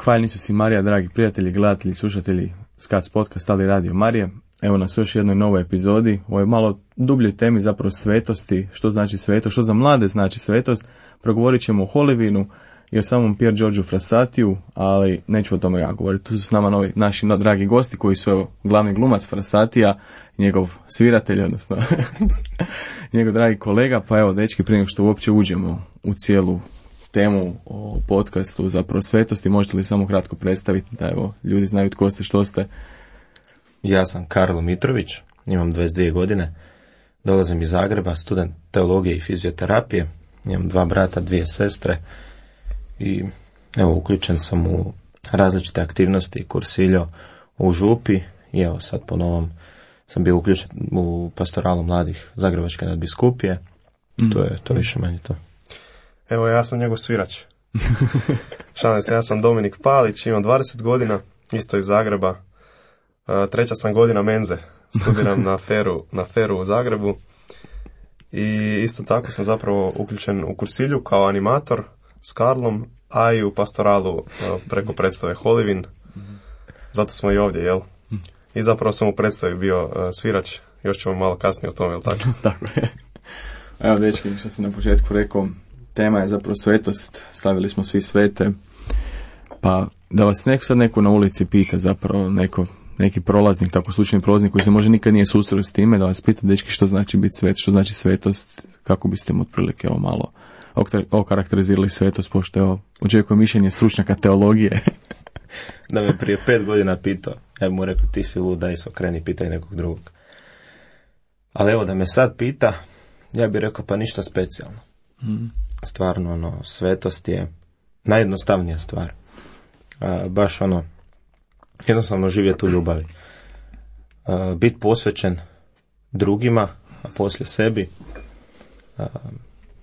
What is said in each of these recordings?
Zahvaljeni su si Marija, dragi prijatelji, gledatelji, slušatelji Skac podcast, ali Radio Marije. Evo nas u još jednoj novoj epizodi, o ovoj malo dubljoj temi zapravo svetosti, što znači svetost, što za mlade znači svetost. Progovorit ćemo o Holivinu i o samom Pier Giorgio Frassatiju, ali neću o tome ja govoriti. Tu su s nama novi naši dragi gosti koji su evo, glavni glumac Frassatija, njegov sviratelj, odnosno njegov dragi kolega. Pa evo, dečki, prije nego što uopće uđemo u cijelu temu o podcastu zapravo svetosti, možete li samo kratko predstaviti da evo ljudi znaju tko ste, što ste? Ja sam Karlo Mitrović, imam 22 godine, dolazim iz Zagreba, student teologije i fizioterapije, imam 2 brata, 2 sestre i evo uključen sam u različite aktivnosti, kursiljo u Župi i evo sad po novom sam bio uključen u pastoralu mladih Zagrebačke nadbiskupije. To je više manje to. Evo, ja sam njegov svirač. Šalim se, ja sam Dominik Palić, imam 20 godina, isto iz Zagreba. 3. sam godina menze, studiram na Feru u Zagrebu. I isto tako sam zapravo uključen u kursilju kao animator s Karlom, a i u pastoralu preko predstave Holivin. Zato smo i ovdje, jel? I zapravo sam u predstavi bio svirač, još ćemo malo kasnije o tome, jel tako? Tako je. Evo, dečki, što sam na početku rekao, tema je zapravo svetost, slavili smo svi svete, pa da vas neko na ulici pita, zapravo neki prolaznik, tako slučajni prolaznik koji se možda nikad nije susreo s time, da vas pita, dečki, što znači biti svet, što znači svetost, kako biste mu otprilike ovo malo okarakterizirali svetost, pošto evo, očekujem mišljenje stručnjaka teologije. Da me prije 5 godina pitao, ja bi mu rekao, ti si lud, daj se okreni, pitaj nekog drugog. Ali evo, da me sad pita, ja bih rekao, pa ništa specijalno. Stvarno, svetost je najjednostavnija stvar. Baš jednostavno živjeti u ljubavi. Biti posvećen drugima, a poslije sebi.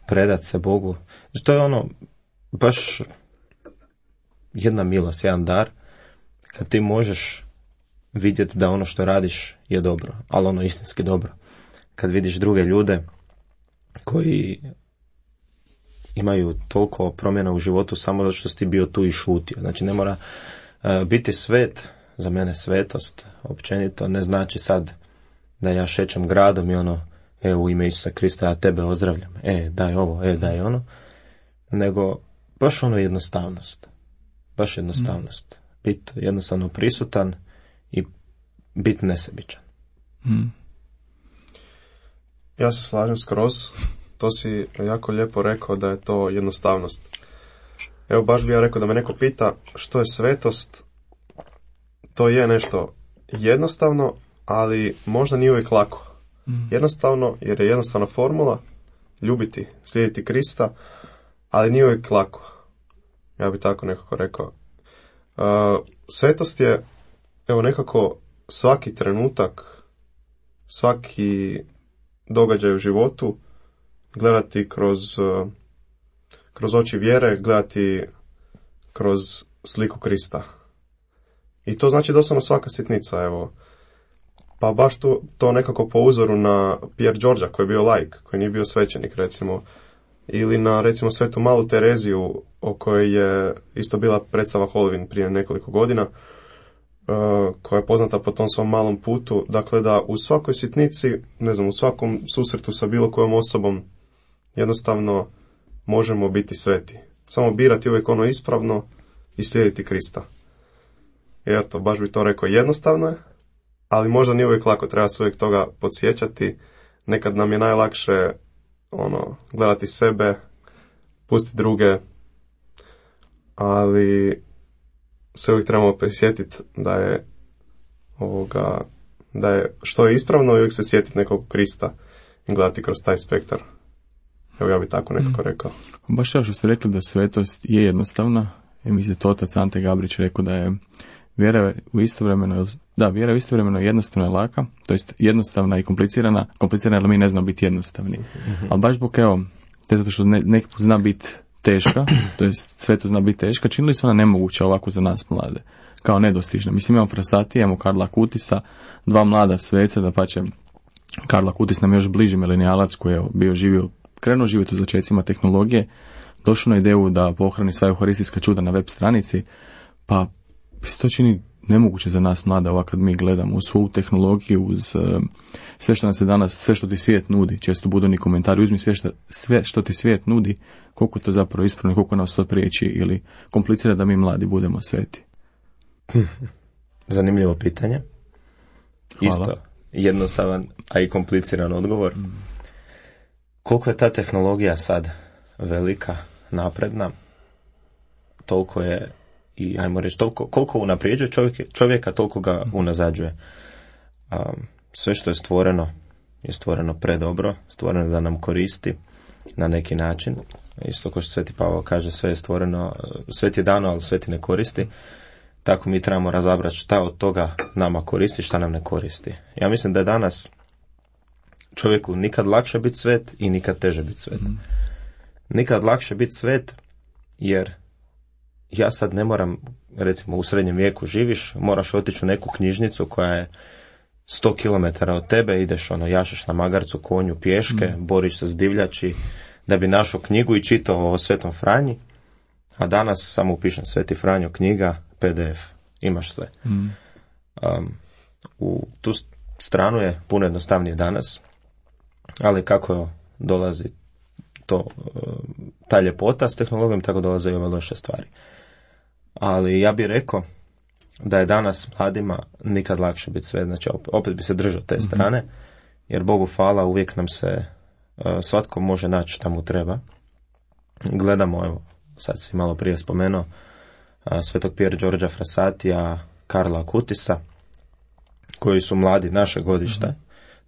Predat se Bogu. To je baš jedna milost, jedan dar, kad ti možeš vidjeti da ono što radiš je dobro, ali istinski dobro. Kad vidiš druge ljude koji imaju toliko promjena u životu samo zato što si ti bio tu i šutio. Znači ne mora biti svet, za mene svetost općenito ne znači sad da ja šećem gradom i u ime Isusa Krista ja tebe ozdravljam, daj ovo, daj ono, nego baš jednostavnost. Baš jednostavnost. Biti jednostavno prisutan i biti nesebičan. Ja se slažem skroz. To si jako lijepo rekao da je to jednostavnost. Evo, baš bi ja rekao da me neko pita što je svetost. To je nešto jednostavno, ali možda nije uvijek lako. Jednostavno, jer je jednostavna formula, ljubiti, slijediti Krista, ali nije uvijek lako. Ja bi tako nekako rekao. Svetost je, evo, nekako svaki trenutak, svaki događaj u životu gledati kroz oči vjere, gledati kroz sliku Krista. I to znači doslovno svaka sitnica, evo. Pa baš to nekako po uzoru na Pier Giorgia, koji je bio laik, koji nije bio svećenik, recimo. Ili na, recimo, svetu Malu Tereziju, o kojoj je isto bila predstava Holivin prije nekoliko godina, koja je poznata po tom svom malom putu. Dakle, da u svakoj sitnici, u svakom susretu sa bilo kojom osobom, jednostavno možemo biti sveti. Samo birati uvijek ispravno i slijediti Krista. I eto, baš bi to rekao, jednostavno je, ali možda nije uvijek lako, treba se uvijek toga podsjećati. Nekad nam je najlakše gledati sebe, pustiti druge, ali se uvijek trebamo prisjetiti da je što je ispravno i uvijek se sjetiti nekog Krista i gledati kroz taj spektar. Evo, ja bi tako nekako rekao. Baš evo što ste rekli da svetost je jednostavna, i mislim to otac Ante Gabrić rekao da je vjera istovremeno jednostavna i laka, to jest jednostavna i komplicirana jer mi ne znamo biti jednostavni. Ali baš zbog zato što neki put zna biti teška, to jest svetost zna biti teška, činili su ona nemoguća ovako za nas mlade, kao nedostižna. Mislim, imamo Frassatija, imamo Karla Kutisa, 2 mlada sveca, da pače Karla Kutis nam još bliži milenijalac koji je krenuo živjeti u začecima tehnologije, došao na ideju da pohrani sva euharistijska čuda na web stranici, Pa se to čini nemoguće za nas mlade, ovako kad mi gledamo uz svu tehnologiju, uz sve što nam se danas, sve što ti svijet nudi, često budu ni komentari, uzmi sve što ti svijet nudi, koliko to zapravo ispravno, koliko nas to priječi ili komplicira da mi mladi budemo sveti. Zanimljivo pitanje. Hvala. Isto jednostavan, a i kompliciran odgovor. Koliko je ta tehnologija sad velika, napredna, toliko je i ajmo reći, koliko unaprijeđuje čovjeka, toliko ga unazađuje. Sve što je stvoreno predobro, stvoreno da nam koristi na neki način. Isto kao što Sveti Pavao kaže, sve je stvoreno, sve ti je dano, ali sve ti ne koristi. Tako mi trebamo razabrati šta od toga nama koristi, šta nam ne koristi. Ja mislim da je danas čovjeku nikad lakše biti svet i nikad teže biti svet. Nikad lakše biti svet jer ja sad ne moram, recimo u srednjem vijeku živiš, moraš otići u neku knjižnicu koja je 100 km od tebe, ideš jašeš na magarcu, konju, pješke, boriš se s divljači da bi našao knjigu i čitao o Svetom Franji, a danas samo upišem Sveti Franjo knjiga, PDF, imaš sve. U tu stranu je puno jednostavnije danas, ali kako dolazi ta ljepota s tehnologijom, tako dolaze i ove loše stvari. Ali ja bih rekao da je danas mladima nikad lakše biti sve, znači opet bi se držao te strane, jer Bogu hvala uvijek nam se svatko može naći šta mu treba. Gledamo, evo, sad si malo prije spomenuo, Svetog Pier Đorđa Frassatija, Karla Akutisa, koji su mladi naše godište,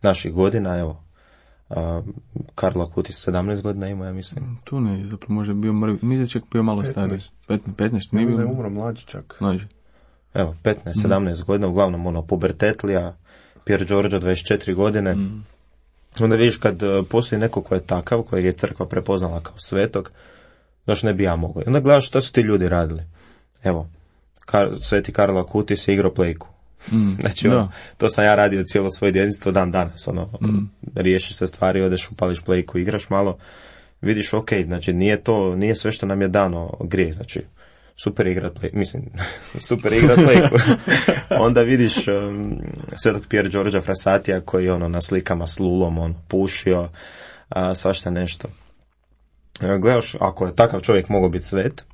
naših godina, evo, Karlo Akutis 17 godina ima, ja mislim. Tu ne, zapravo može bio mrvi, mislim čak bio malo stariji. 15, nije bio. Ne umro mlađi čak. Mlađi. Evo, 15-17 godina, uglavnom pubertetlija, Pier Đorđo 24 godine. Onda vidiš kad postoji neko ko je takav, kojeg je crkva prepoznala kao svetog, zašto ne bi ja mogao. Onda gledaš što su ti ljudi radili. Evo, Sveti Karlo Akutis je igrao plejku. Znači, to sam ja radio cijelo svoje djetinjstvo dan danas. Riješiš se stvari, odeš, upališ plejku, igraš malo, vidiš, ok, znači nije sve što nam je dano grijeh, znači super igrat plejku. Onda vidiš Svetog Pier Đorđa Frassatija koji na slikama s lulom pušio, svašta nešto. Gledaš, ako je takav čovjek mogao biti svet,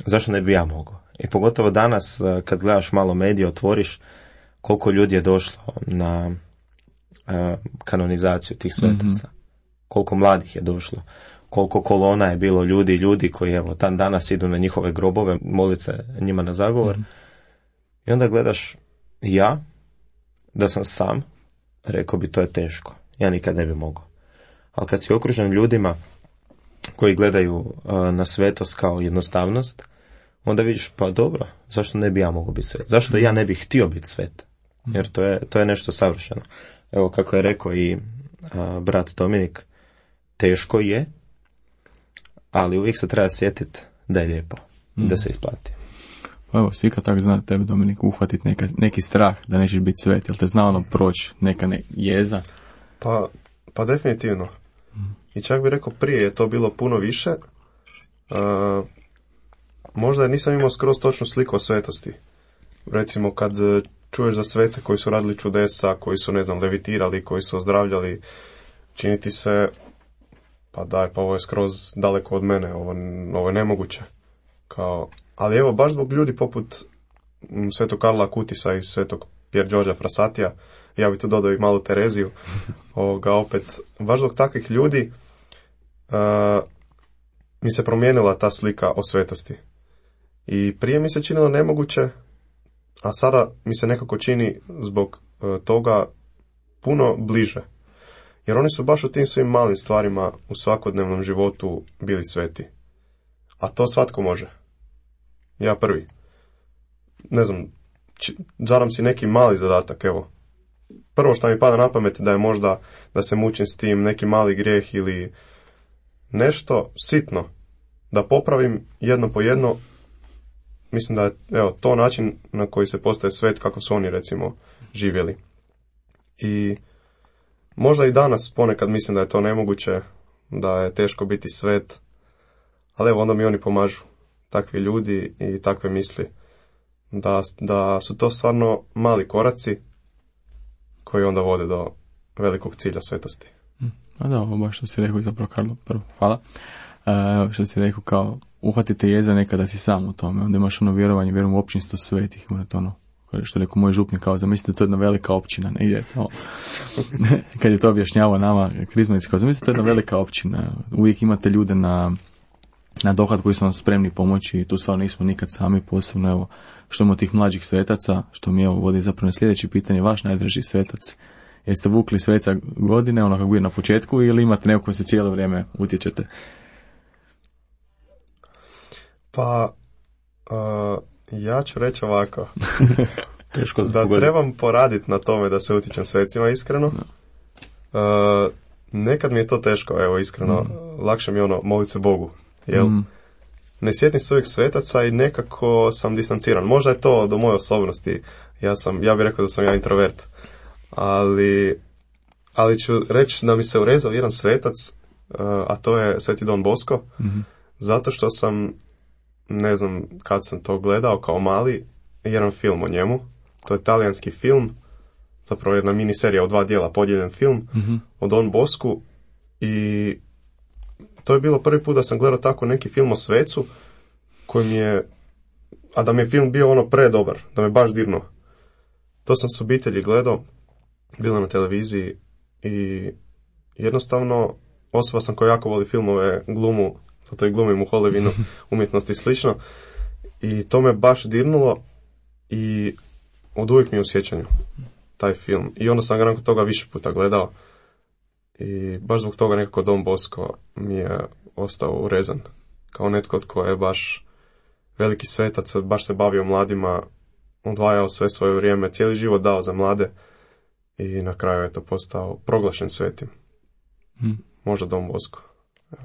zašto ne bi ja mogao? I pogotovo danas, kad gledaš malo medije, otvoriš koliko ljudi je došlo na kanonizaciju tih svetaca. Koliko mladih je došlo. Koliko kolona je bilo ljudi koji evo dan danas idu na njihove grobove, molit se njima na zagovor. I onda gledaš, ja, da sam sam, rekao bi to je teško. Ja nikad ne bi mogao. Ali kad si okružen ljudima koji gledaju na svetost kao jednostavnost, onda vidiš, pa dobro, zašto ne bi ja mogao biti svet? Zašto ja ne bih htio biti svet? Jer to je nešto savršeno. Evo kako je rekao i brat Dominik, teško je, ali uvijek se treba sjetiti da je lijepo, da se isplati. Pa evo, svi kad tako zna tebe, Dominik, uhvatiti neki strah da nećeš biti svet, jel te zna proći neka jeza? Pa definitivno. I čak bih rekao prije je to bilo puno više. Možda nisam imao skroz točnu sliku o svetosti. Recimo kad čuješ za svece koji su radili čudesa, koji su, levitirali, koji su ozdravljali, čini ti se, pa ovo je skroz daleko od mene, ovo je nemoguće. Ali evo, baš zbog ljudi poput Svetog Karla Akutisa i Svetog Pier Đorđa Frassatija, ja bih tu dodao i malu Tereziju, opet, baš zbog takvih ljudi mi se promijenila ta slika o svetosti. I prije mi se činilo nemoguće, a sada mi se nekako čini zbog toga puno bliže. Jer oni su baš u tim svim malim stvarima u svakodnevnom životu bili sveti. A to svatko može. Ja prvi. Zadam si neki mali zadatak, evo. Prvo što mi pada na pamet da je možda da se mučim s tim neki mali grijeh ili nešto sitno. Da popravim jedno po jedno. Mislim da je to način na koji se postaje svet kako su oni recimo živjeli. I možda i danas ponekad mislim da je to nemoguće, da je teško biti svet, ali evo onda mi oni pomažu, takvi ljudi i takve misli. da su to stvarno mali koraci koji onda vode do velikog cilja svetosti. A da, ovo baš što si rekao, zapravo Karlo, prvo, hvala. Što si rekao, kao uhvatite jeza nekada si sam u tome, onda imaš ono vjerovanje, vjerujem u općinstvo svetih, morate ono, što je rekao moj župnik, kao zamislite, to je jedna velika općina, ne ide to. Kad je to objašnjavao nama krizmanici, kao zamislite, to je jedna velika općina, uvijek imate ljude na dohvat koji su vam spremni pomoći i tu stvarno nismo nikad sami, posebno evo, što imamo tih mlađih svetaca, što mi evo vodi zapravo na sljedeće pitanje, vaš najdraži svetac. Jeste vukli sveca godine, ono kako bio na početku, ili imate neko koji se cijelo vrijeme utječete? Pa, ja ću reći ovako. Teško da trebam poraditi na tome da se utječem svecima, iskreno. Nekad mi je to teško, evo, iskreno. Lakše mi je ono, moliti se Bogu. Jel? Ne sjetim se uvijek svetaca i nekako sam distanciran. Možda je to do moje osobnosti. Ja bih rekao da sam ja introvert. Ali ću reći da mi se urezao jedan svetac, a to je Sveti Don Bosco, zato što sam, ne znam kad sam to gledao kao mali, jedan film o njemu. To je talijanski film, zapravo jedna miniserija u 2 dijela, podijeljen film o Don Bosku, i to je bilo prvi put da sam gledao tako neki film o svecu koji mi je, a da mi je film bio ono predobar, da me baš dirnuo. To sam s obitelji gledao, bilo na televiziji, i jednostavno osoba sam koja jako voli filmove, glumu, zato i glumim u Hollywoodu, umjetnosti i slično, i to me baš dirnulo i od uvijek mi je u sjećanju taj film. I onda sam ga nakon toga više puta gledao i baš zbog toga nekako Don Bosco mi je ostao urezan. Kao netko tko je baš veliki svetac, baš se bavio mladima, odvajao sve svoje vrijeme, cijeli život dao za mlade i na kraju je to postao proglašen svetim. Možda Don Bosco. Evo.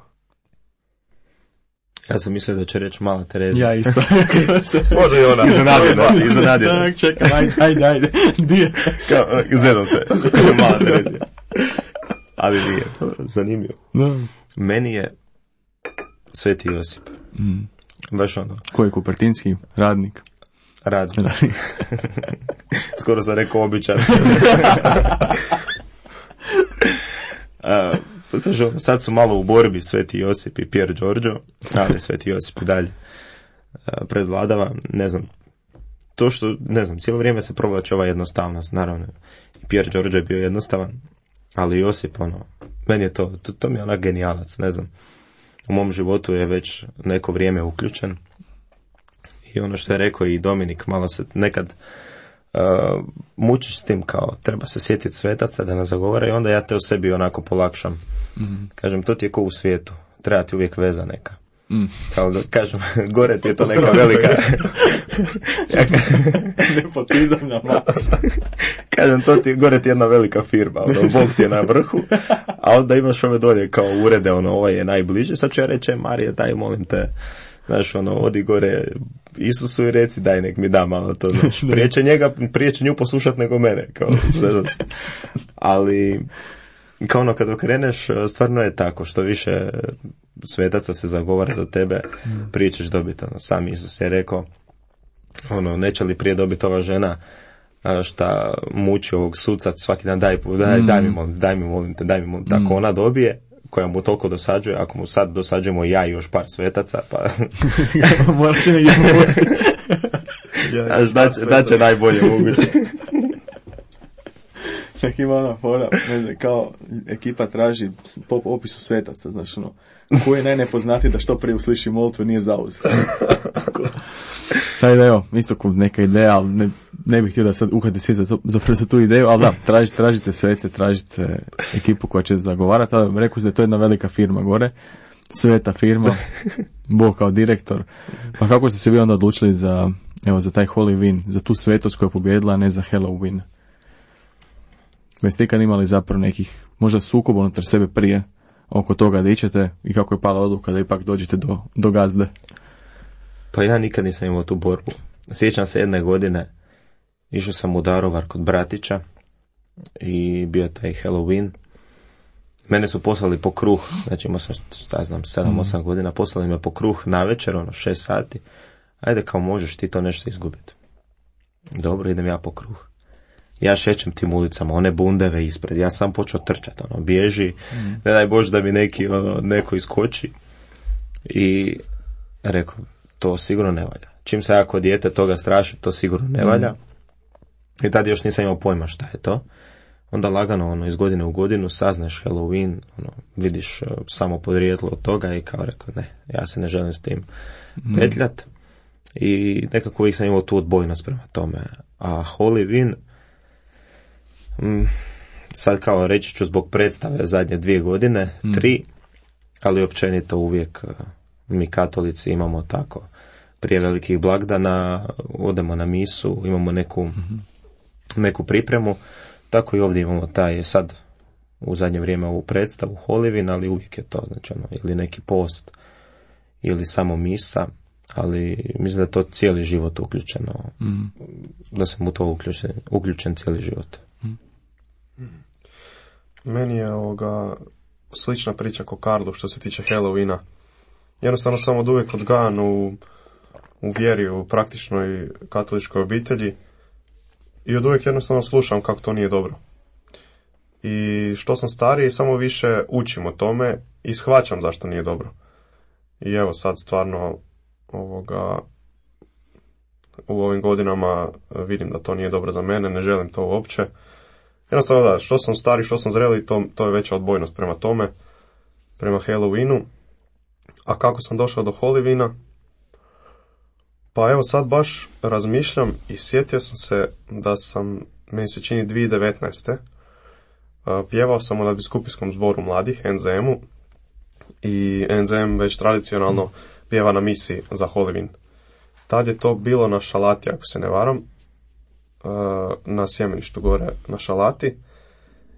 Ja sam mislio da će reći Mala Terezija. Ja isto. Može i ona. Iznenadio nas. Čekaj, ajde. Gdje? Zedom se. Mala Terezija. Ali nije. Dobro, zanimljivo. No. Meni je Sveti Josip. Baš ono. Koji Kupertinski? Radnik. Radnik. Skoro sam rekao običan. Sad su malo u borbi Sveti Josip i Pier Giorgio, ali Sveti Josip i dalje predvladava. Ne znam, to što, ne znam, cijelo vrijeme se provlači ova jednostavnost, naravno. I Pier Giorgio je bio jednostavan, ali Josip, ono, meni je to mi je onak genijalac, ne znam. U mom životu je već neko vrijeme uključen. I ono što je rekao i Dominik, malo se nekad mučiš s tim, kao treba se sjetiti svetaca da nas zagovara, i onda ja te o sebi onako polakšam. Kažem, to ti je ko u svijetu, treba ti uvijek veza neka. Kao da kažem, gore ti je to neka velika nepotizam na mas. Kažem, gore ti je jedna velika firma, ono, Bog ti je na vrhu, a onda imaš ove dolje kao urede, ono, ovaj je najbliže. Sad ću ja reći, Marije, daj, molim te, znaš, ono, odi gore Isusu i reci, daj, nek mi da malo to, znaš, prije će nju poslušat nego mene, kao, ali kao ono, kad okreneš, stvarno je tako, što više svetaca se zagovara za tebe, prije ćeš dobiti, ono, sam Isus je rekao, ono, neće li prije dobiti ova žena šta muči ovog suca svaki dan, daj mi molim te, tako ona dobije, koja mu toliko dosađuje, ako mu sad dosađujemo ja i još par svetaca, pa morat će negdje posti. Da će najbolje moguće. Čak ima ona fora, ne znam, kao ekipa traži po opisu svetaca, znaš, ono, koji je najnepoznatiji da što prije usliši molitvu nije zauzet. Taj da, evo, isto neka ideja, ali ne bih htio da sad uhvati svi za tu ideju, ali da, tražite svece, tražite ekipu koja će zagovarati, ali rekao da je to jedna velika firma gore, sveta firma, Bog kao direktor. Pa kako ste se vi onda odlučili za taj Halloween, za tu svetost koja je pobjedila, a ne za Halloween? Jeste ikad imali zapravo nekih možda sukoba unutar sebe prije oko toga da ićete i kako je pala odluka da ipak dođete do gazde? Pa ja nikad nisam imao tu borbu. Sjećam se jedne godine, išao sam u Daruvar kod bratića i bio taj Halloween. Mene su poslali po kruh, znači imao sam, 7-8 godina, poslali me po kruh na večer, 6 sati. Ajde, kao možeš ti to nešto izgubiti. Dobro, idem ja po kruh. Ja šećem tim ulicama, one bundeve ispred, ja sam počeo trčati, bježi, ne daj Bože da mi neko iskoči. I rekao, to sigurno ne valja. Čim se ja kod dijete toga straši, to sigurno ne valja. I tad još nisam imao pojma šta je to. Onda lagano, iz godine u godinu saznaš Halloween, vidiš samo podrijetlo od toga i kao rekao, ne, ja se ne želim s tim petljat. I nekako uvijek sam imao tu odbojnost prema tome. A Halloween, sad kao reći ću zbog predstave zadnje 2 godine, 3, ali općenito uvijek mi katolici imamo tako, prije velikih blagdana odemo na misu, imamo neku pripremu, tako i ovdje imamo taj sad u zadnje vrijeme ovu predstavu Halloween, ali uvijek je to znači ili neki post ili samo misa, ali mislim da je to cijeli život uključeno, da sam u to uključen cijeli život. Meni je slična priča ko Karlu što se tiče Halloweena. Jednostavno sam od uvijek odgajan u vjeri, u praktičnoj katoličkoj obitelji i od uvijek jednostavno slušam kako to nije dobro. I što sam stariji, samo više učim o tome i shvaćam zašto nije dobro. I evo sad stvarno u ovim godinama vidim da to nije dobro za mene, ne želim to uopće. Jednostavno da, što sam stari, što sam zreli, to je veća odbojnost prema tome, prema Halloweenu. A kako sam došao do Halloweena? Pa evo sad baš razmišljam i sjetio sam se da sam, meni se čini 2019. Pjevao sam u nadbiskupijskom zboru mladih, NZM-u, i NZM već tradicionalno pjeva na misi za Halloween. Tad je to bilo na Šalati, ako se ne varam, na sjemeništu gore na Šalati,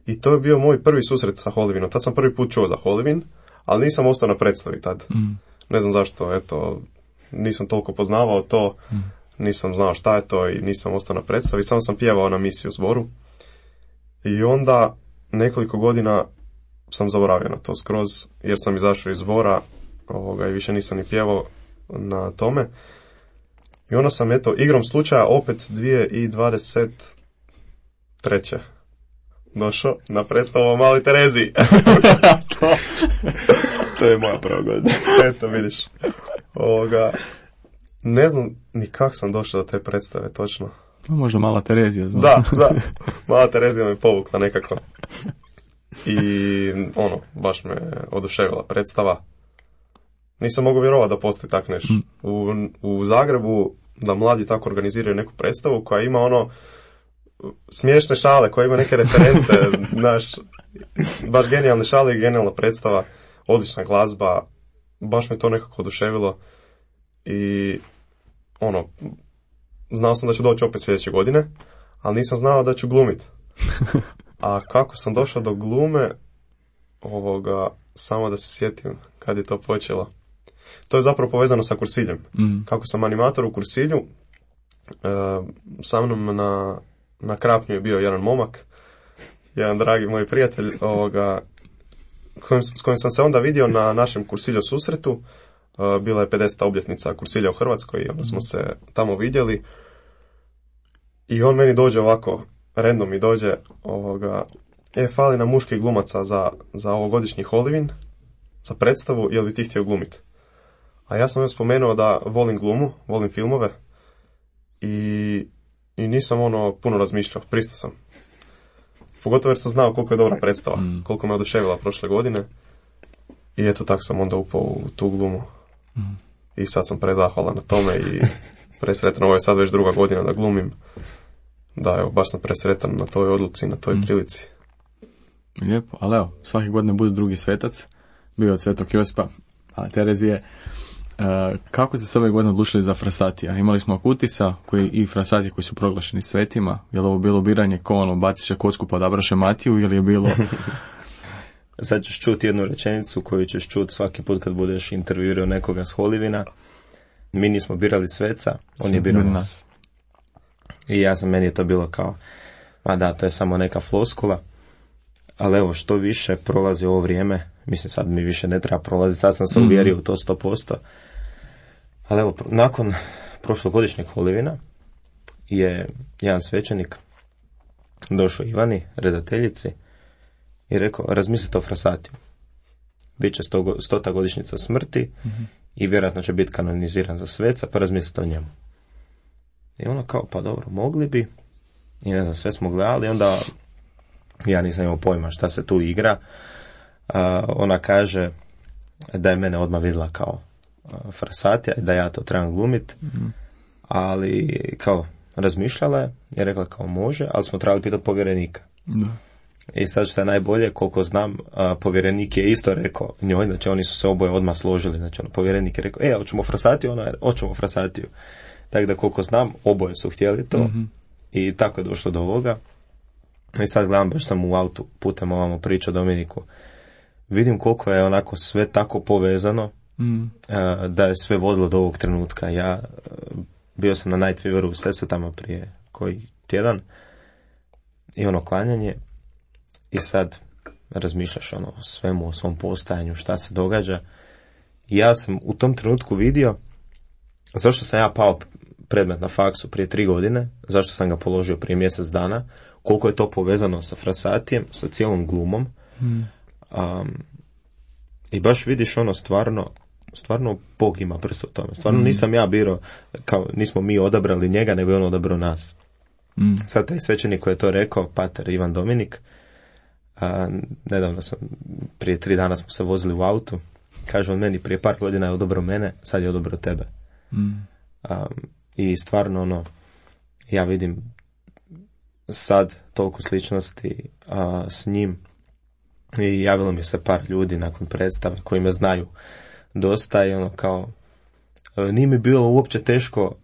i to je bio moj prvi susret sa Halloweenom. Tad sam prvi put čuo za Halloween, ali nisam ostao na predstavi tad. Ne znam zašto, eto, nisam toliko poznavao to, nisam znao šta je to i nisam ostao na predstavi, samo sam pjevao na misi u zboru. I onda nekoliko godina sam zaboravio na to skroz, jer sam izašao iz zbora i više nisam ni pjevao na tome. I onda sam, eto, igrom slučaja opet 2023. došao na predstavu o Maloj Tereziji. To je moja prva godina. Eto, vidiš. Ne znam ni kako sam došao do te predstave, točno. Možda Mala Terezija, znam. Da. Mala Terezija me povukla nekako. I, baš me oduševila predstava. Nisam mogao vjerovati da postoji tak nešto. U Zagrebu da mladi tako organiziraju neku predstavu koja ima smiješne šale, koja ima neke reference, baš genijalne šale i genijalna predstava, odlična glazba, baš me to nekako oduševilo i znao sam da ću doći opet sljedeće godine, ali nisam znao da ću glumit. A kako sam došao do glume, samo da se sjetim kad je to počelo. To je zapravo povezano sa Kursiljem. Kako sam animator u Kursilju, sa mnom na Krapnju je bio jedan momak, jedan dragi moj prijatelj, s kojim sam se onda vidio na našem Kursilju susretu. Bila je 50. obljetnica Kursilja u Hrvatskoj i onda smo se tamo vidjeli. I on meni dođe ovako, random mi dođe, fali nam muških glumaca za ovogodišnji Halloween, za predstavu, jel bi ti htio glumiti? A ja sam joj spomenuo da volim glumu, volim filmove i nisam puno razmišljao, pristao sam. Pogotovo jer sam znao koliko je dobra predstava, koliko me oduševila prošle godine i eto tako sam onda upao u tu glumu. I sad sam prezahvalan na tome i presretan, ovo je sad već 2. godina da glumim. Da, evo, baš sam presretan na toj odluci, na toj prilici. Lijepo, ali evo, svake godine bude drugi svetac, bio od Svetog Josipa, a Terezije. Kako ste se ove godine odlučili za Frasatija? Imali smo Akutisa i Frasatije koji su proglašeni svetima. Je li ovo bilo biranje ko baciše kocku pa odabraše Matiju ili je bilo... Sad ćeš čuti jednu rečenicu koju ćeš čuti svaki put kad budeš intervjuirao nekoga s Halloween. Mi nismo birali sveca, on je birao nas. I meni je to bilo kao, to je samo neka floskula. Ali evo, što više prolazi ovo vrijeme, mislim sad mi više ne treba prolaziti, sad sam se uvjerio u to 100%. Ali evo, nakon prošlogodišnjeg Halloweena, je jedan svećenik došao Ivani, redateljici, i rekao, razmislite o Frasatiju. Biće 100. godišnjica smrti i vjerojatno će biti kanoniziran za sveca, pa razmislite o njemu. I ono kao, pa dobro, mogli bi, i ne znam, sve smo gledali, onda ja nisam imao pojma šta se tu igra. Ona kaže da je mene odmah vidjela kao Frasatija i da ja to trebam glumiti, ali kao razmišljala je i rekla kao može, ali smo trebali pitati povjerenika. Da. I sad što je najbolje, koliko znam, povjerenik je isto rekao njoj, znači oni su se oboje odmah složili, znači povjerenik je rekao, hoćemo Frasatiju, ona je, hoćemo Frasatiju. Tako da koliko znam, oboje su htjeli to i tako je došlo do ovoga. I sad gledam, baš sam u autu putem ovamo pričao Dominiku, vidim koliko je onako sve tako povezano, da je sve vodilo do ovog trenutka. Ja bio sam na Night Feveru u Sesvetama prije koji tjedan i ono klanjanje i sad razmišljaš ono o svemu, o svom postajanju, šta se događa. I ja sam u tom trenutku vidio zašto sam ja pao predmet na faksu prije 3 godine, zašto sam ga položio prije mjesec dana, koliko je to povezano sa Frasatijem, sa cijelom glumom. I baš vidiš ono stvarno Bog ima prst u tome. Stvarno nisam ja birao, kao nismo mi odabrali njega, nego je on odabrao nas. Sad taj svećenik koji je to rekao, pater Ivan Dominik, nedavno prije 3 dana smo se vozili u autu, kaže on meni, prije par godina je odabrao mene, sad je odabrao tebe. I stvarno ono, ja vidim sad toliko sličnosti s njim i javilo mi se par ljudi nakon predstave koji me znaju dosta i ono kao nije mi bilo uopće teško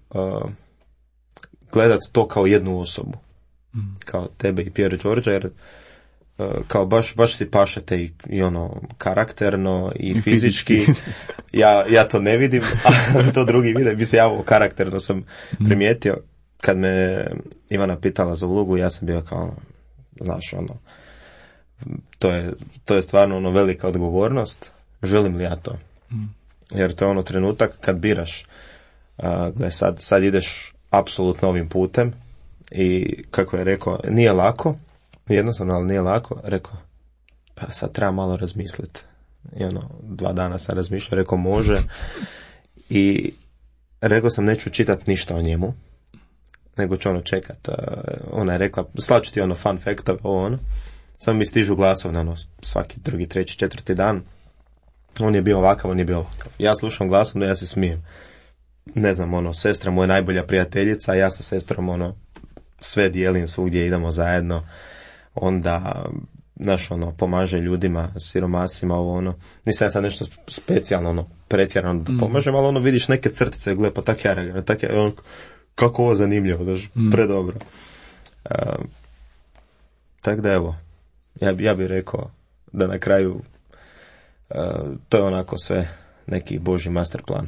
gledati to kao jednu osobu, kao tebe i Pier Đorđa, jer kao baš si pašete i ono karakterno i fizički. Ja to ne vidim, a to drugi vide. Bi se ja karakterno sam primijetio. Kad me Ivana pitala za ulogu, ja sam bio kao, znaš, ono, to je stvarno ono velika odgovornost. Želim li ja to? Jer to je ono trenutak kad biraš. Gle, sad ideš apsolutno ovim putem i kako je rekao, nije lako, jednostavno, ali nije lako. Rekao, pa sad treba malo razmisliti. I ono, 2 dana sam razmišljao, rekao može. I rekao sam, neću čitati ništa o njemu, nego ću ono čekat. Ona je rekla, slaću ti ono fun fact, ono. Samo mi stižu glasovne, ono, svaki 2., 3., 4. dan. On je bio ovakav, on je bio ovakav. Ja slušam glasovno, ja se smijem. Ne znam, ono, sestra moja najbolja prijateljica, a ja sa sestrom, ono, sve dijelim, svugdje idemo zajedno. Onda, znaš, ono, pomaže ljudima, siromasima, ovo, ono. Nisam ja sad nešto specijalno, ono, pretjerano da pomažem, ali ono, vidiš neke crtice, gle, pa tak ja reagiram, kako ovo zanimljivo, daš, predobro. Tako da, evo, ja bih rekao da na kraju to je onako sve neki Božji master plan.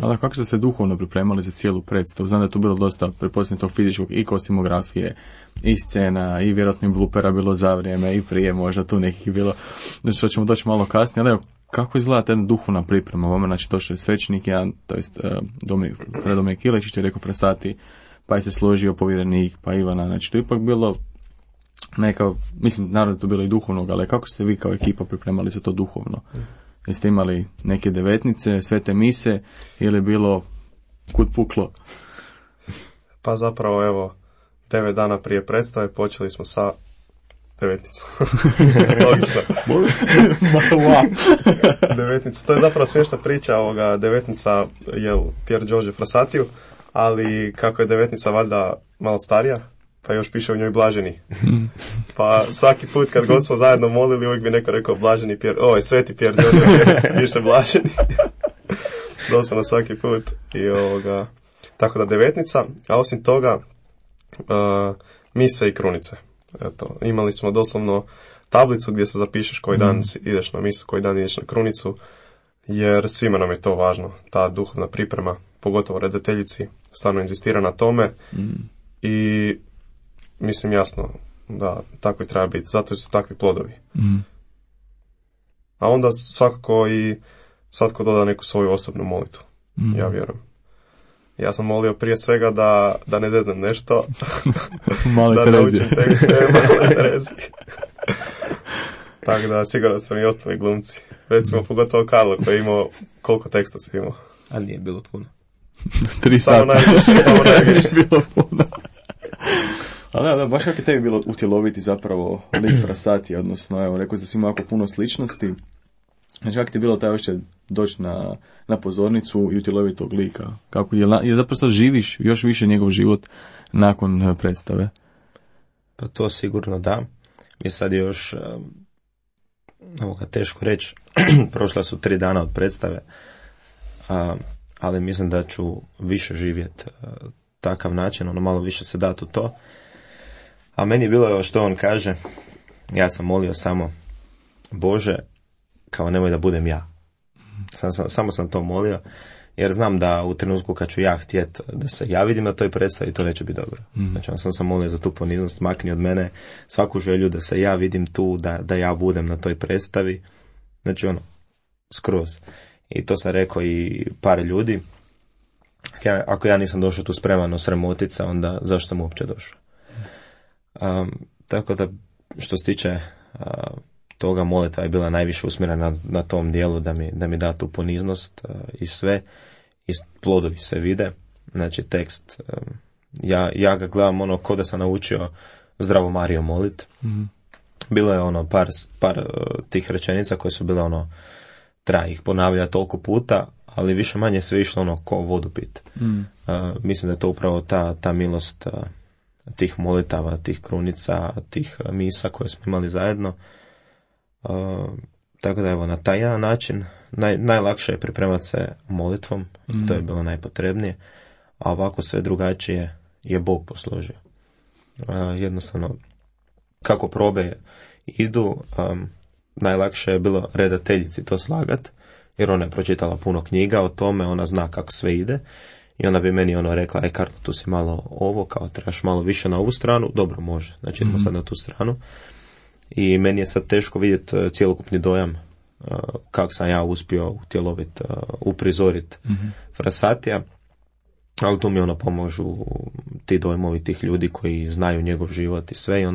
Ali kako ste se duhovno pripremali za cijelu predstavu? Znam da je tu bilo dosta preposljednje tog fizičkog i kostimografije, i scena, i vjerojatno i blupera bilo za vrijeme, i prije možda tu nekih bilo, znači što ćemo doći malo kasnije, ali evo, kako izgleda ta duhovna priprema? Vama, znači, došao je svećenik jedan, to jest Dominik Ilečić je rekao Frasati, pa je se složio povjerenik, pa Ivana, znači to je ipak bilo neka, mislim, naravno je to bilo i duhovnog, ali kako ste vi kao ekipa pripremali za to duhovno? Jeste imali neke devetnice, svete mise, ili je bilo kud puklo? Pa zapravo, evo, 9 dana prije predstave počeli smo sa devetnicom. Logično. Devetnica. To je zapravo smiješna priča ovoga. Devetnica je Pier Giorgio Frassatiju, ali kako je devetnica valjda malo starija, pa još piše u njoj blaženi. Pa svaki put kad god smo zajedno molili, uvijek bi neko rekao blaženi sveti Pier Giorgio, piše blaženi. Doslovno svaki put. I tako da devetnica, a osim toga mise i krunice. Eto, imali smo doslovno tablicu gdje se zapišeš koji dan ideš na misu, koji dan ideš na krunicu, jer svima nam je to važno, ta duhovna priprema, pogotovo redateljici, stvarno inzistira na tome i mislim jasno da tako i treba biti, zato su takvi plodovi. A onda svakako i svatko doda neku svoju osobnu molitvu, ja vjerujem. Ja sam molio prije svega da ne zeznem nešto. Male da Terezije. naučim tekste, male Terezije. Tako da sigurno sam i ostali glumci. Recimo pogotovo Karlo koji je imao, koliko teksta si imao? A nije bilo puno. 3 Samo sata. najviše. Bilo puno. Ali da, baš kako je tebi bilo utjeloviti zapravo lik Frassati, odnosno, evo, rekao da si imao jako puno sličnosti. Znači, kako ti je bilo taj još doći na pozornicu i utjeloviti tog lika? Kako je zapravo sad živiš još više njegov život nakon predstave? Pa to sigurno da. Mi sad još, ovoga teško reći, prošla su 3 dana od predstave, ali mislim da ću više živjeti takav način, ono malo više se dati u to. A meni je bilo što on kaže, ja sam molio samo Bože, kao nemoj da budem ja. Samo sam to molio, jer znam da u trenutku kad ću ja htjet da se ja vidim na toj predstavi, to neće biti dobro. Znači, sam molio za tu poniznost, makni od mene svaku želju da se ja vidim tu, da ja budem na toj predstavi. Znači, skroz. I to sam rekao i par ljudi. Ako ja nisam došao tu spremano sramotica, onda zašto sam uopće došao? Tako da, što se tiče toga, molitva je bila najviše usmjerena na tom dijelu da mi da tu poniznost i sve, i plodovi se vide. Znači, tekst, ja ga gledam ko da sam naučio Zdravo Marijo molit. Bilo je par tih rečenica koje su bile treba ih ponavljati toliko puta, ali više manje sve išlo ko vodu pit. Mislim da je to upravo ta milost tih molitava, tih krunica, tih misa koje smo imali zajedno. Tako da, evo, na taj jedan način najlakše je pripremati se molitvom, to je bilo najpotrebnije, a ovako sve drugačije je Bog posložio. Jednostavno, kako probe idu, najlakše je bilo redateljici to slagat, jer ona je pročitala puno knjiga o tome, ona zna kako sve ide, i ona bi meni rekla, Karlo, tu si malo ovo, kao trebaš malo više na ovu stranu, dobro, može, znači idemo sad na tu stranu. I meni je sad teško vidjeti cjelokupni dojam kako sam ja uspio utjeloviti, uprizoriti Frassatija, ali tu mi pomožu ti dojmovi tih ljudi koji znaju njegov život i sve, i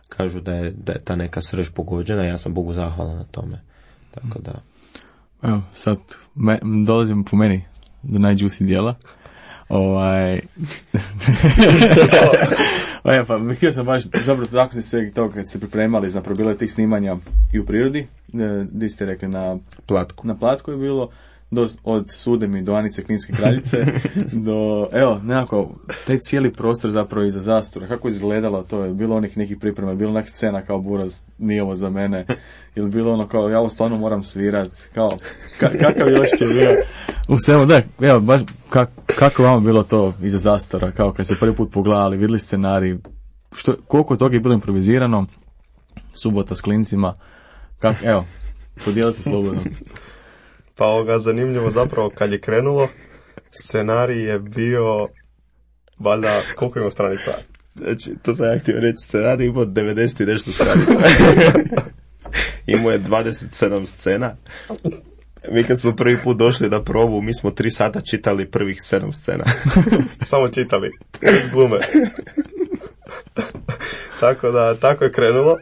kažu da je ta neka srž pogođena, ja sam Bogu zahvalan na tome. Tako da... Evo, sad dolazimo po meni do najjuicy dijela. Pa htio sam baš zapravo taknuti se toga kad ste pripremali, zapravo bilo je tih snimanja i u prirodi, gdje ste rekli na Platku je bilo, od Sudemi do Anice Kninske kraljice, do, evo, nekako, taj cijeli prostor zapravo iza zastora, kako je izgledalo to, je bilo onih nekih priprema, bilo nekih scena kao Buraz, nije ovo za mene, ili bilo kao, ja ovo stvarno moram svirat, kao, kakav još je bio, u svemu, da, evo, baš, kako vam bilo to iza zastora, kao kad ste prvi put pogledali, vidjeli scenarij, koliko toga je bilo improvizirano, subota s klincima, evo, podijelite slobodno. Pa zanimljivo zapravo kad je krenulo, scenarij je bio, valjda, koliko ima stranica? Znači, to sam ja htio reći, scenarij imao 90 i nešto stranica. Imao je 27 scena. Mi kad smo prvi put došli na probu, mi smo 3 sata čitali prvih 7 scena. Samo čitali, iz glume. Tako da, tako je krenulo.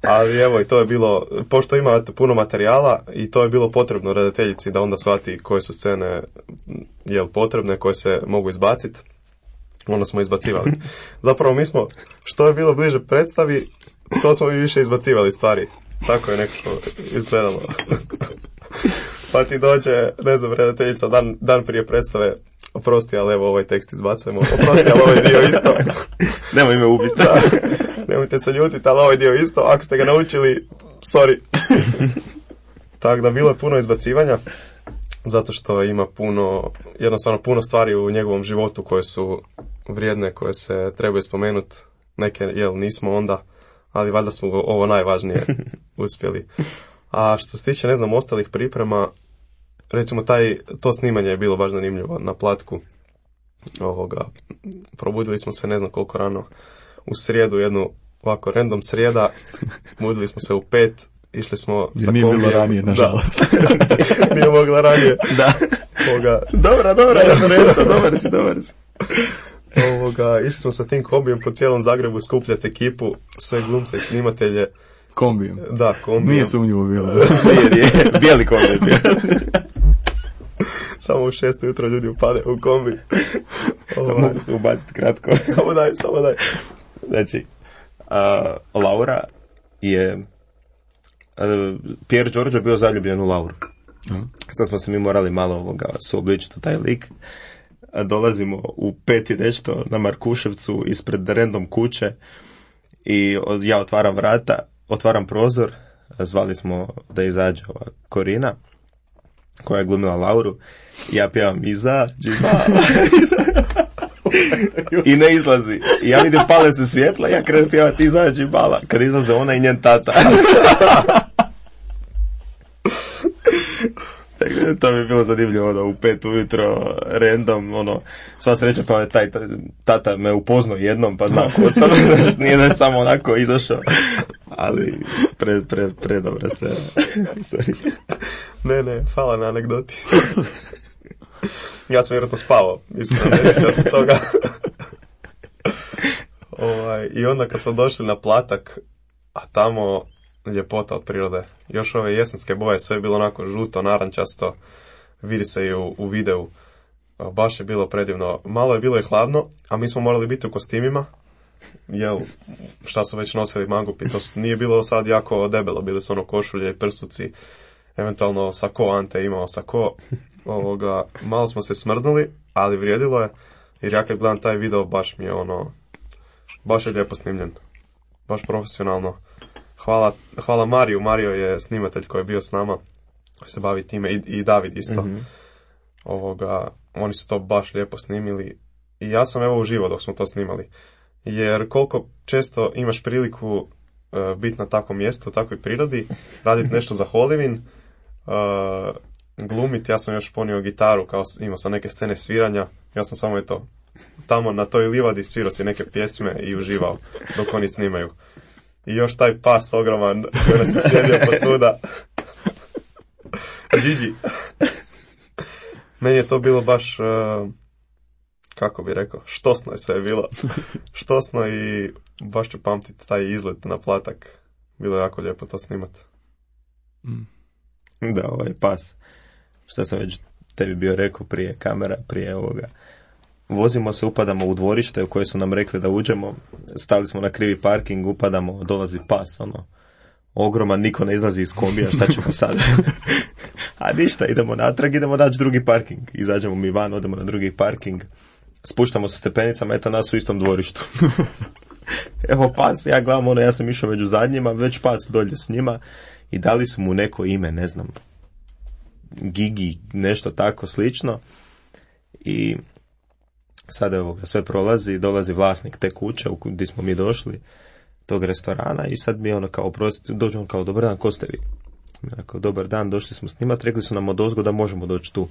Ali evo, i to je bilo, pošto ima puno materijala, i to je bilo potrebno redateljici da onda shvati koje su scene potrebne, koje se mogu izbaciti. Onda smo izbacivali. Zapravo mi smo, što je bilo bliže predstavi, to smo mi više izbacivali stvari. Tako je nekako izgledalo. Pa ti dođe, ne znam, redateljica dan prije predstave, oprosti, ali evo ovaj tekst izbacujemo, oprosti, ali ovaj dio isto. Nemoj me ubiti. Nemojte se ljutiti, ali ovaj dio isto, ako ste ga naučili, sorry. Tako da bilo je puno izbacivanja, zato što ima jednostavno puno stvari u njegovom životu koje su vrijedne, koje se trebaju spomenuti. Neke, nismo onda, ali valjda smo ovo najvažnije uspjeli. A što se tiče, ne znam, ostalih priprema, recimo to snimanje je bilo baš zanimljivo na Platku. Probudili smo se ne znam koliko rano, u srijedu, jednu ovako random srijeda, budili smo se u 5, išli smo sa kombijem. Nije bilo ranije, nažalost. Nije mogla ranije. Da. Dobra, dobar si. Išli smo sa tim kombijem po cijelom Zagrebu skupljati ekipu, sve glumce i snimatelje. Kombijem? Da, kombijem. Nije sumnjivo bilo. Nije, bijeli kombi bio. Samo u 6 ujutro ljudi upade u kombi. Mogu se ubaciti kratko. Samo daj. Znači, Laura je... Pier Giorgio bio zaljubljen u Lauru. Sad smo se mi morali malo suobličiti u taj lik. Dolazimo u 5 i nešto na Markuševcu ispred random kuće i ja otvaram vrata, otvaram prozor, zvali smo da izađe ova Korina koja je glumila Lauru i ja pjevam izađi mala i ne izlazi. I ja vidim pale se svjetla i ja krenem pjevati izađi mala kad izlaze ona i njen tata. To mi je bilo zanimljivo, u 5 ujutro, random, sva sreća pa taj tata me upoznao jednom, pa zna ko sam, nije da je samo onako izašao, ali predobra se. Sorry. Ne, hvala na anegdoti. Ja sam vjerojatno spavao, iskreno ne sjećam se toga. I onda kad smo došli na Platak, a tamo ljepota od prirode. Još ove jesenske boje, sve je bilo onako žuto, narančasto, vidi se i u videu. Baš je bilo predivno. Malo je bilo i hladno, a mi smo morali biti u kostimima. Jel, šta su već nosili mangupi, to nije bilo sad jako debelo, bili su košulje i prstuci, eventualno sako, Ante imao sako. Malo smo se smrznuli, ali vrijedilo je, jer ja kad gledam taj video, baš mi je baš je lijepo snimljen. Baš profesionalno. Hvala Mariju. Mario je snimatelj koji je bio s nama, koji se bavi time, i David isto. Mm-hmm. Oni su to baš lijepo snimili i ja sam uživao dok smo to snimali. Jer koliko često imaš priliku biti na takvom mjestu, u takvoj prirodi, raditi nešto za Hollywood, glumiti. Ja sam još ponio gitaru, kao imao sam neke scene sviranja, ja sam samo tamo na toj livadi svirao si neke pjesme i uživao dok oni snimaju. I još taj pas ogroman koji nas je slijedio posuda. Gigi. Meni je to bilo baš, kako bi rekao, štosno je sve bilo. Štosno i baš ću pamtiti taj izlet na Platak. Bilo je jako lijepo to snimat. Da, ovaj pas. Šta sam već tebi bio rekao prije kamera, prije ovoga. Vozimo se, upadamo u dvorište u koje su nam rekli da uđemo, stali smo na krivi parking, upadamo, dolazi pas, ogroman, niko ne izlazi iz kombija, šta ćemo sad? A ništa, idemo natrag, idemo naći drugi parking. Izađemo mi van, odemo na drugi parking, spuštamo se stepenicama, eto nas u istom dvorištu. Evo pas, ja gledam, ja sam išao među zadnjima, već pas dolje s njima i dali su mu neko ime, ne znam, Gigi, nešto tako slično. I sad sve prolazi, dolazi vlasnik te kuće gdje smo mi došli, tog restorana, i sad mi dođe on kao, dobar dan, ko ste vi? Rekao, dobar dan, došli smo snimat, rekli su nam odozgo da možemo doći tu.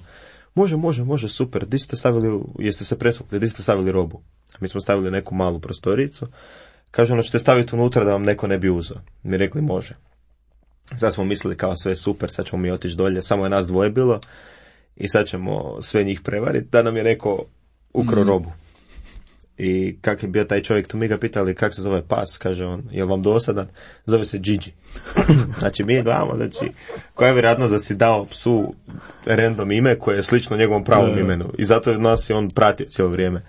Može, super, di ste stavili, jeste se presvukli, di ste stavili robu? Mi smo stavili neku malu prostoricu, kaže, ćete staviti unutra da vam neko ne bi uzeo. Mi rekli, može. Sad smo mislili kao sve super, sad ćemo mi otići dolje, samo je nas dvoje bilo i sad ćemo sve njih prevariti, da nam je neko ukro robu. I kak je bio taj čovjek, tu mi ga pitali kak se zove pas, kaže on, je li vam dosadan? Zove se Gigi. Znači mi je gledamo, koja je vjerojatnost da si dao psu random ime koje je slično njegovom pravom imenu i zato nas je on pratio cijelo vrijeme.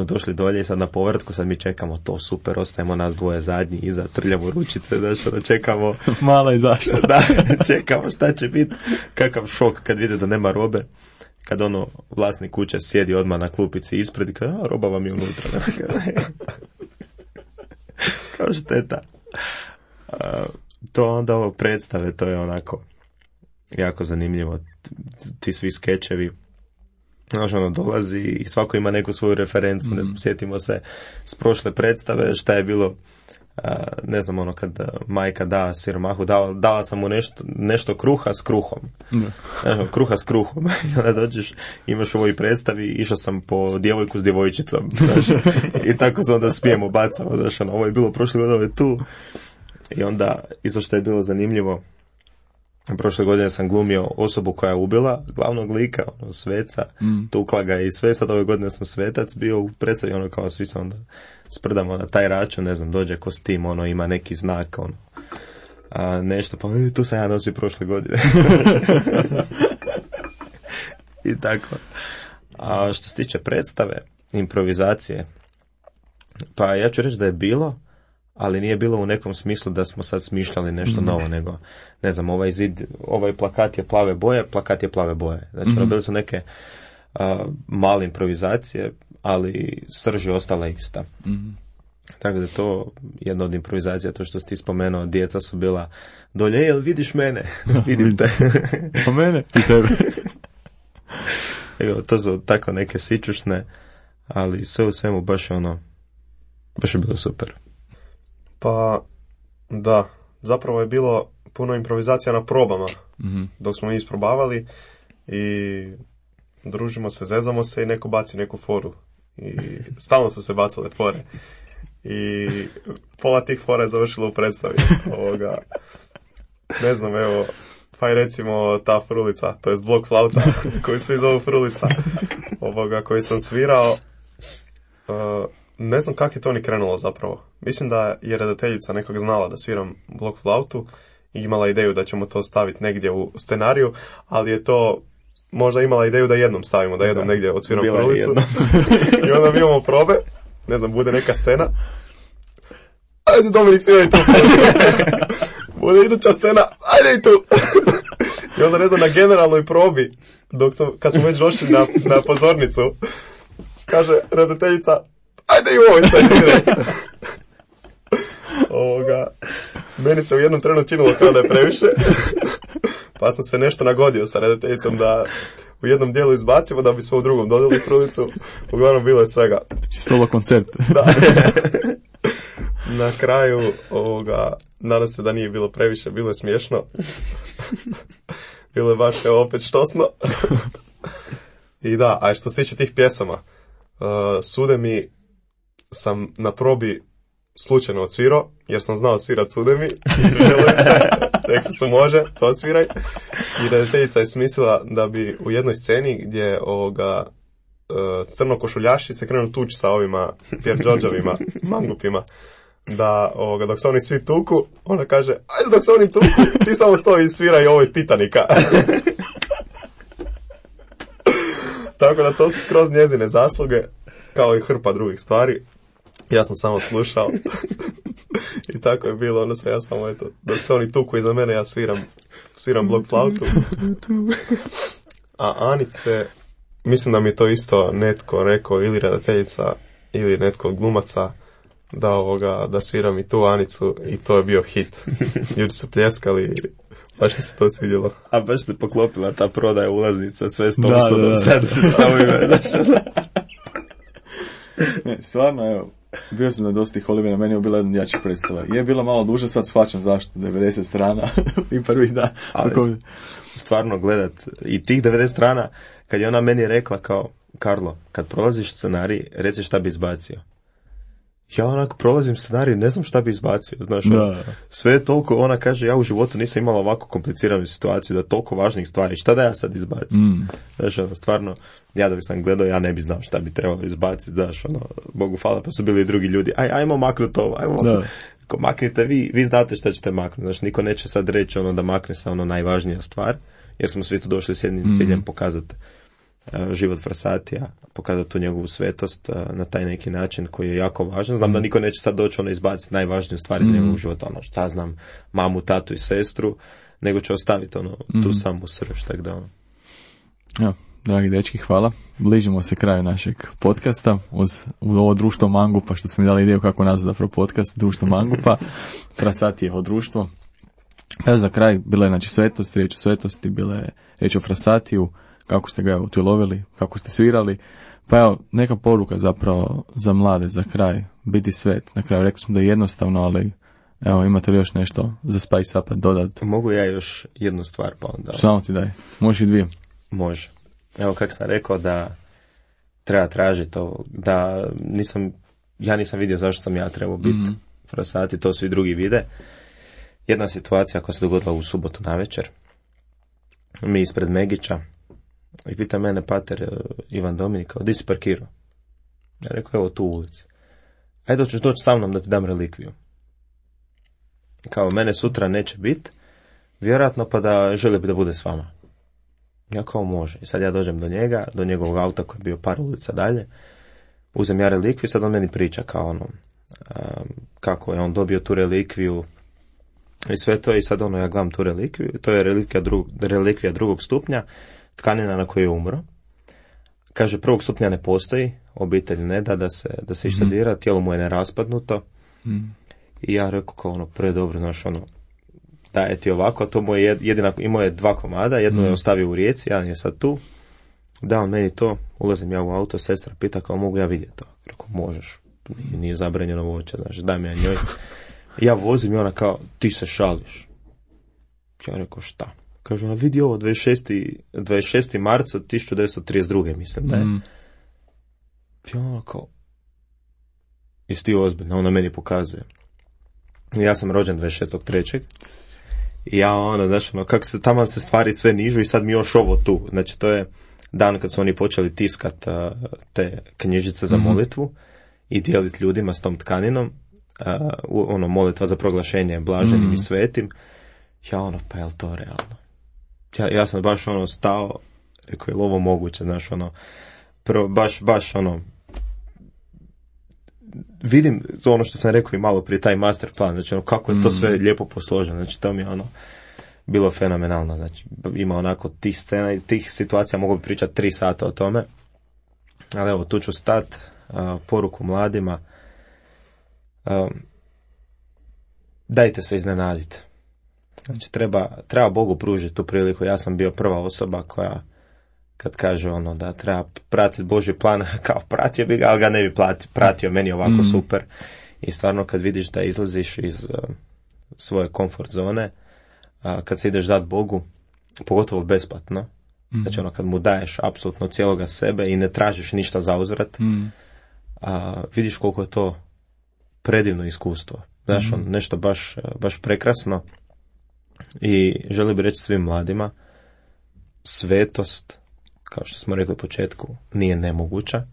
Došli dolje i sad na povratku, sad mi čekamo to super, ostajemo nas dvoje zadnji iza, trljamo ručice, čekamo. Mala izašla. Da, čekamo šta će biti, kakav šok kad vide da nema robe. Kad vlasnik kuće sjedi odmah na klupici ispred i kaže, roba vam je unutra. Kao šteta. To onda ovo predstave, to je onako jako zanimljivo. Ti svi skečevi, dolazi i svako ima neku svoju referencu. Mm-hmm. Sjetimo se s prošle predstave šta je bilo, ne znam, kad majka da siromahu, dala sam mu nešto kruha s kruhom. Kruha s kruhom. I onda dođeš, imaš u ovoj predstavi, išao sam po djevojku s djevojčicom. I tako se onda smijemo, bacamo. Ovo je bilo prošle godine, ovo je tu. I onda, isto što je bilo zanimljivo, Prošle godine sam glumio osobu koja je ubila glavnog lika, ono, sveca, tukla ga i sve, sad ove godine sam svetac bio u predstavi, ono, kao svi se onda sprdamo na taj račun, ne znam, dođe kostim, ono, ima neki znak, ono, nešto, pa tu sam ja nosio prošle godine. I tako. A što se tiče predstave, improvizacije, pa ja ću reći da je bilo, ali nije bilo u nekom smislu da smo sad smišljali nešto novo, nego, ne znam, ovaj zid, ovaj plakat je plave boje, plakat je plave boje. Znači, bili su neke male improvizacije, ali srž je ostala ista. Tako da to jedna od improvizacija, to što si ti spomenuo, djeca su bila dolje, jel vidiš mene? Vidim te. A mene? I tebe. Evo, to su tako neke sičušne, ali sve u svemu baš je bilo super. Pa, da, zapravo je bilo puno improvizacija na probama, dok smo mi isprobavali i družimo se, zezamo se i neko baci neku foru. I stalno su se bacale fore. I pola tih fora je završilo u predstavi. Ne znam, evo, pa i recimo ta frulica, to je blok flauta, koju svi zovu frulica, koju sam svirao. Ne znam kako je to ni krenulo zapravo. Mislim da je redateljica nekog znala da sviram blok flautu i imala ideju da ćemo to staviti negdje u scenariju, ali je to možda imala ideju da jednom stavimo, da jednom negdje odsviram frulicu. I onda mi imamo probe, ne znam, bude neka scena. Ajde Dominik, sviraj tu frulicu. Bude iduća scena, ajde i tu. I onda, ne znam, na generalnoj probi, kad smo već došli na pozornicu, kaže redateljica, ajde i u ovoj sceni. Meni se u jednom trenu činilo kao da je previše, pa sam se nešto nagodio sa redateljicom da u jednom dijelu izbacimo, da bismo u drugom dodali frulicu. Uglavnom bilo je svega. Solo koncert. Da. Na kraju nadam se da nije bilo previše, bilo je smiješno. Bilo je baš opet štosno. I da, a što se tiče tih pjesama, Sude mi sam na probi slučajno odsvirao, jer sam znao svirat Sude mi i svidjelo im se, rekli su može, to sviraj. I redateljica je smislila da bi u jednoj sceni gdje crnokošuljaši se krenu tući sa ovima Pier Giorgiovima, mangupima, da dok se oni svi tuku, ona kaže, ajde dok se oni tuku, ti samo stoji i sviraj ovo iz Titanika. Tako da to su skroz njezine zasluge, kao i hrpa drugih stvari. Ja sam samo slušao. I tako je bilo, ono sve ja samo, eto, dok se oni tuku iza mene, ja sviram blok flautu. A Anice, mislim da mi je to isto netko rekao, ili redateljica, ili netko od glumaca, da sviram i tu Anicu, i to je bio hit. Ljudi su pljeskali, baš mi se to svidjelo. A baš se poklopila ta prodaja ulaznica, sve s Thompsonom sad sa ovime. Ne, stvarno, evo, bio sam na dosta tih Olivera, meni je bila jedna jačih predstava. Je bila malo duža, sad shvaćam zašto, 90 strana i prvi dan. Ali stvarno gledat i tih 90 strana, kad je ona meni rekla kao, Karlo, kad prolaziš scenarij, reci šta bi izbacio. Ja onako prolazim scenarij, ne znam šta bi izbacio, znaš, sve je toliko, ona kaže, ja u životu nisam imala ovako kompliciranu situaciju, da toliko važnih stvari, šta da ja sad izbacim? Znaš, stvarno, ja da bi sam gledao, ja ne bi znao šta bi trebalo izbaciti, znaš, Bogu hvala, pa su bili i drugi ljudi, ajmo maknuti ovo, ako maknite vi znate šta ćete maknuti, znaš, niko neće sad reći da makne se najvažnija stvar, jer smo svi tu došli s jednim ciljem pokazati život Frassatija, pokazati tu njegovu svetost na taj neki način koji je jako važan. Znam da niko neće sad doći izbaciti najvažniju stvar iz njegovog života, šta znam, mamu, tatu i sestru, nego će ostaviti tu samu srž, tako da Ja, dragi dečki, hvala. Bližimo se kraju našeg podcasta uz ovo društvo Mangupa, što smo mi dali ideju kako nazvati zapravo podcast, društvo Mangupa, Frassatijevo društvo. Evo za kraj, bila je znači svetost, riječ o svetosti, bila je riječ o Frassatiju, kako ste ga utjelovili, kako ste svirali. Pa evo, neka poruka zapravo za mlade, za kraj, biti svet. Na kraju rekli smo da je jednostavno, ali evo, imate li još nešto za Spice Up dodat? Mogu ja još jednu stvar pa onda? Samo ti daj, možeš i dvije. Može. Evo kako sam rekao da treba tražiti ovo, da ja nisam vidio zašto sam ja trebao biti Frassati, to svi drugi vide. Jedna situacija koja se dogodila u subotu navečer, mi ispred Megića i pita mene pater Ivan Dominika, di si parkirao? Ja rekao, evo tu u ulici. Ajde, hoćeš doći sa mnom da ti dam relikviju. Kao, mene sutra neće biti, vjerojatno, pa da želi bi da bude s vama. Ja kao, može. I sad ja dođem do njega, do njegovog auta koji je bio par ulica dalje, uzem ja relikviju, sad on meni priča kao ono, kako je on dobio tu relikviju i sve to, i sad ja gledam tu relikviju, to je relikvija drugog stupnja, tkanina na kojoj je umro. Kaže, prvog stupnja ne postoji, obitelj ne da da se išta dira, tijelo mu je neraspadnuto. I ja rekao kao ono, predobro, znaš, ono, daje ti ovako, a to mu je imao je 2 komada, jedno je ostavio u Rijeci, jedan je sad tu, da on meni to, ulazim ja u auto, sestra pita kao, mogu ja vidjeti to? Rekao, možeš, nije zabranjeno voće, znaš, daj mi ja njoj. Ja vozim i ona kao, ti se šališ. Ja rekao, šta? Kaže, ona, vidi ovo, 26. marca 1932. mislim da je. I ona kao, jesi ti ozbiljno? Ona meni pokazuje. Ja sam rođen 26.3. I ja znaš, kako se tamo se stvari sve nižu i sad mi još ovo tu. Znači, to je dan kad su oni počeli tiskat te knjižice za molitvu i dijeliti ljudima s tom tkaninom. Molitva za proglašenje blaženim i svetim. Ja pa je li to realno? Ja sam baš stao, rekao, je li ovo moguće, znaš, baš vidim ono što sam rekao i malo prije, taj master plan, znači kako je to sve lijepo posloženo, znači to mi je bilo fenomenalno, znači ima onako tih scena i tih situacija, mogu bi pričati 3 sata o tome, ali evo, tu ću stat, poruku mladima, dajte se iznenaditi. Znači, treba Bogu pružiti tu priliku. Ja sam bio prva osoba koja, kad kaže da treba pratiti Božji plan, kao pratio bi ga, ali ga ne bi pratio, meni je ovako super. I stvarno, kad vidiš da izlaziš iz svoje komfort zone, kad se ideš dati Bogu, pogotovo besplatno, znači kad mu daješ apsolutno cijeloga sebe i ne tražiš ništa za uzvrat, vidiš koliko je to predivno iskustvo. Znaš, nešto baš prekrasno. I želim bi reći svim mladima, svetost, kao što smo rekli u početku, nije nemoguća.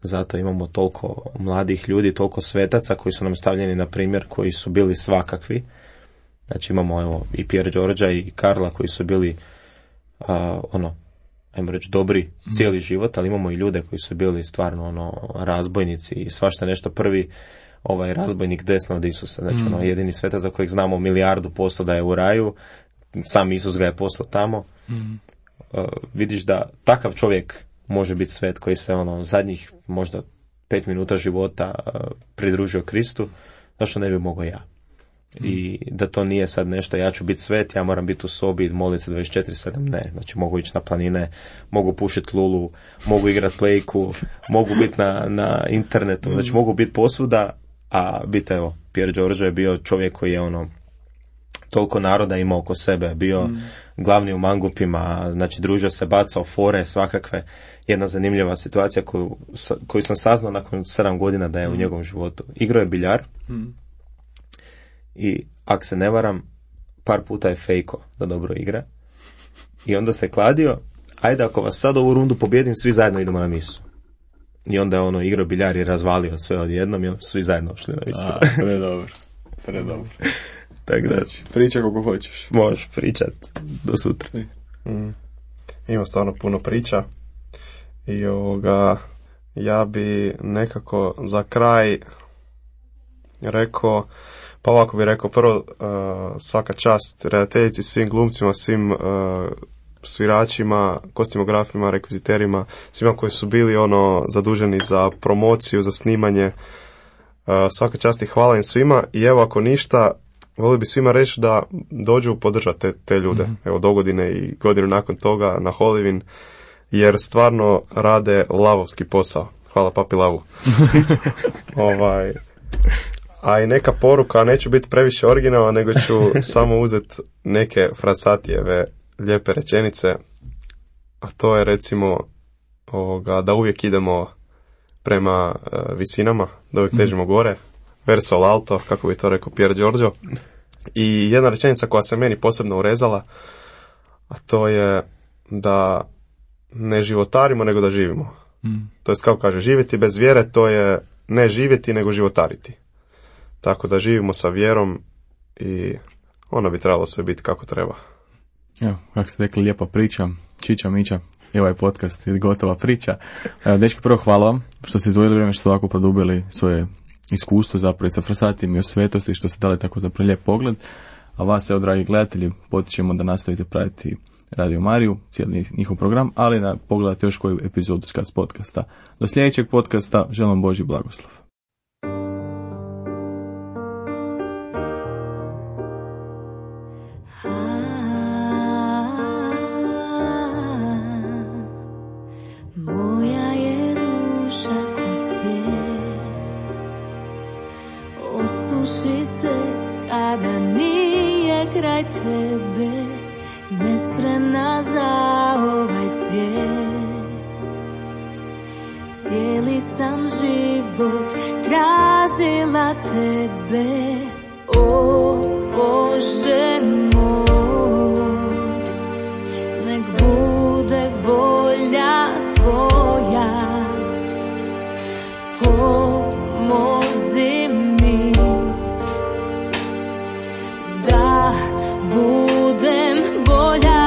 Zato imamo toliko mladih ljudi, toliko svetaca koji su nam stavljeni na primjer, koji su bili svakakvi. Znači imamo i Pier Đorđa i Karla koji su bili ajmo reći dobri cijeli život, ali imamo i ljude koji su bili stvarno razbojnici i svašta nešto. Prvi razbojnik desno od Isusa, znači jedini svetac za kojeg znamo 1,000,000% da je u raju, sam Isus ga je poslao tamo. Vidiš da takav čovjek može biti svet koji se zadnjih možda 5 minuta života pridružio Kristu, zašto ne bi mogao ja? I da to nije sad nešto, ja ću biti svet, ja moram biti u sobi i moliti se 24/7, ne, znači mogu ići na planine, mogu pušiti lulu, mogu igrati plejku, mogu biti na internetu, znači mogu biti posvuda, a biti, evo, Pier Giorgio je bio čovjek koji je toliko naroda imao oko sebe, bio glavni u mangupima, znači družio se, bacao fore, svakakve. Jedna zanimljiva situacija koju sam saznao nakon 7 godina da je u njegovom životu. Igrao je biljar i, ako se ne varam, par puta je fejko da dobro igra. I onda se kladio, ajde ako vas sad ovu rundu pobjedim, svi zajedno idemo na misu. I onda je igrao biljar i razvalio sve odjednom i onda svi zajedno ošli na misu. Predobro. Tako da, priča koliko hoćeš. Možeš pričat do sutra. Ima stvarno puno priča i ja bi nekako za kraj rekao, pa ovako bi rekao, prvo svaka čast redateljici, svim glumcima, svim sviračima, kostimografima, rekviziterima, svima koji su bili zaduženi za promociju, za snimanje. Svaka čast i hvala im svima i evo, ako ništa, volio bi svima reći da dođu podržati te ljude, evo, dogodine i godinu nakon toga na Holivin, jer stvarno rade lavovski posao. Hvala papi Lavu. A i neka poruka, neću biti previše originalan, nego ću samo uzeti neke frasatijeve lijepe rečenice, a to je recimo da uvijek idemo prema visinama, da uvijek težimo gore, verso l'alto, kako bi to rekao Pier Giorgio. I jedna rečenica koja se meni posebno urezala, a to je da ne životarimo, nego da živimo. To je kao kaže, živjeti bez vjere, to je ne živjeti, nego životariti. Tako da živimo sa vjerom i ono bi trebalo sve biti kako treba. Evo, kako ste rekli, lijepa priča, čiča miča, i ovaj podcast je gotova priča. Evo, dečki, prvo hvala vam što ste izdvojili vrijeme, što ste ovako produbili svoje iskustvo zapravo i sa Frasatim i o svetosti, što ste dali tako zapravo lijep pogled. A vas, evo, dragi gledatelji, potičemo da nastavite pratiti Radio Mariju, cijeli njihov program, ali da pogledate još koju epizodu SCAC podcasta. Do sljedećeg podcasta, želim Božji blagoslov. Moja je duša ko cvijet, osuši se kada nije kraj tebe, nespremna za ovaj svijet. Cijeli sam život tražila tebe, o Bože moj, nek bude volja tvoja, pomozi mi da budem bolja.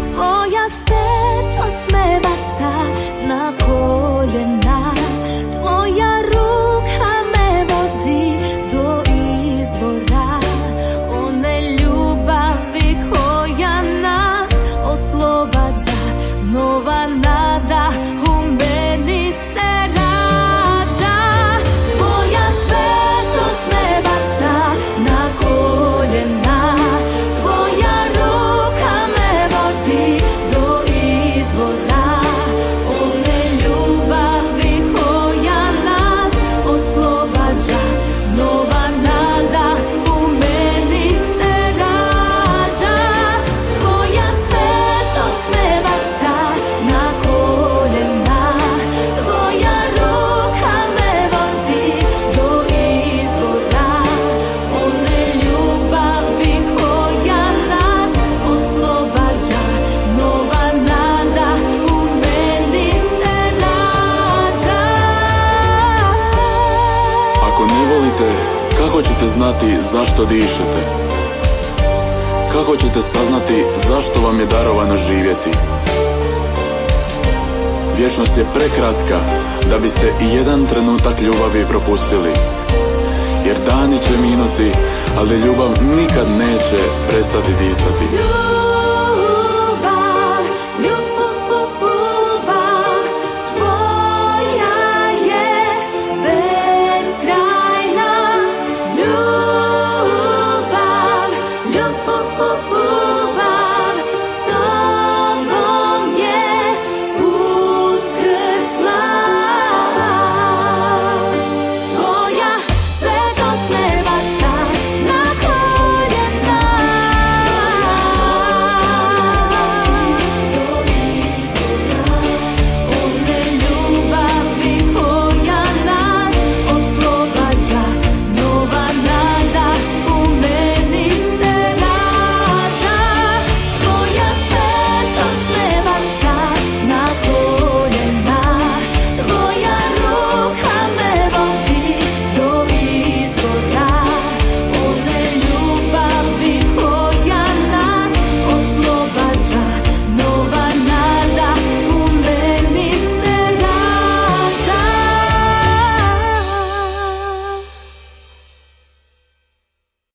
Tvoja svetost me baca na koljena, tvoja ruka me vodi do izvora, one ljubavi koja nas oslobađa, nova nada u meni se rađa. Tvoja svetost me baca na koljena, tvoja ruka me vodi do izvora, one ljubavi koja nas oslobađa, nova nada u meni se rađa. Tvoja svetost me baca na koljena, tvoja ruka me vodi do izvora, one ljubavi koja nas oslobađa, nova nada u meni se rađa. Ako ne volite, kako ćete znati zašto dišete? Kako ćete saznati zašto vam je darovano živjeti? Vječnost je prekratka da biste i jedan trenutak ljubavi propustili. Jer dani će minuti, ali ljubav nikad neće prestati disati.